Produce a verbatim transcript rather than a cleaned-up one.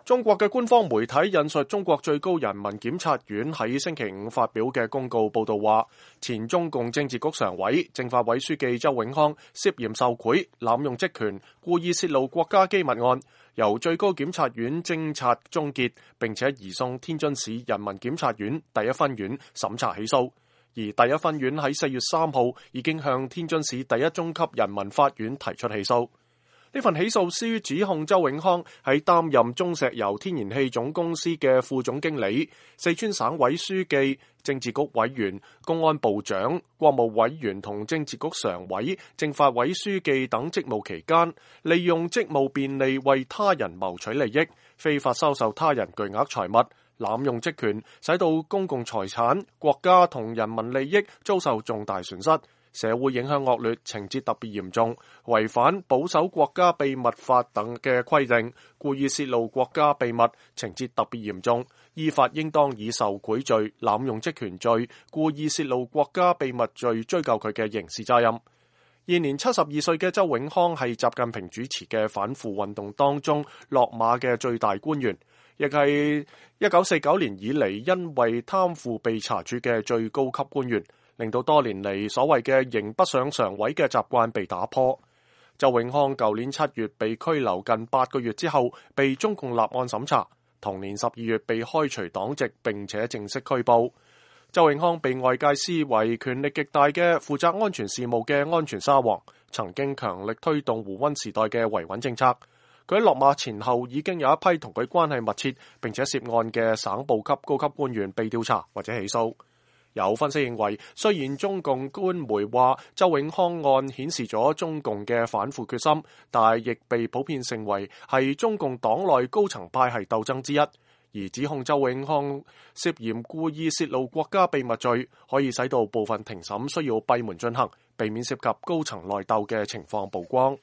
中國嘅官方媒體引述中國最高人民檢察院喺星期五發表嘅公告報道話，前中共政治局常委、政法委書記周永康涉嫌受賄、濫用職權、故意泄露國家機密案，由最高檢察院偵察終結，並且移送天津市人民檢察院第一分院審查起訴。而第一分院喺四月三號已經向天津市第一中級人民法院提出起訴。呢份起訴書指控周永康喺擔任中石油天然氣總公司嘅副總經理、四川省委書記、政治局委員、公安部長、國務委員同政治局常委、政法委書記等職務期間，利用職務便利為他人謀取利益，非法收受他人巨額財物，濫用職權，使到公共財產、國家同人民利益遭受重大損失，社會影響惡劣，情節特別嚴重，違反保守國家秘密法等嘅規定，故意泄露國家秘密，情節特別嚴重，依法應當以受賄罪、濫用職權罪、故意泄露國家秘密罪追究佢嘅刑事責任。現年七十二歲嘅周永康係習近平主持嘅反腐運動當中落馬嘅最大官員，亦係一九四九年以嚟因為貪腐被查處嘅最高級官員，令到多年嚟所謂嘅刑不上常委嘅習慣被打破。周永康舊年七月被拘留近八個月之後，被中共立案審查，同年十二月被開除黨籍並且正式拘捕。周永康被外界視為權力極大嘅負責安全事務嘅安全沙皇，曾經強力推動胡溫時代嘅維穩政策。佢喺落馬前後已經有一批同佢關係密切並且涉案嘅省部級高級官員被調查或者起訴。有分析認為，雖然中共官媒話周永康案顯示咗中共嘅反腐決心，但亦被普遍成為係中共黨內高層派系鬥爭之一。而指控周永康涉嫌故意泄露國家秘密罪，可以使到部分庭審需要閉門進行，避免涉及高層內鬥嘅情況曝光。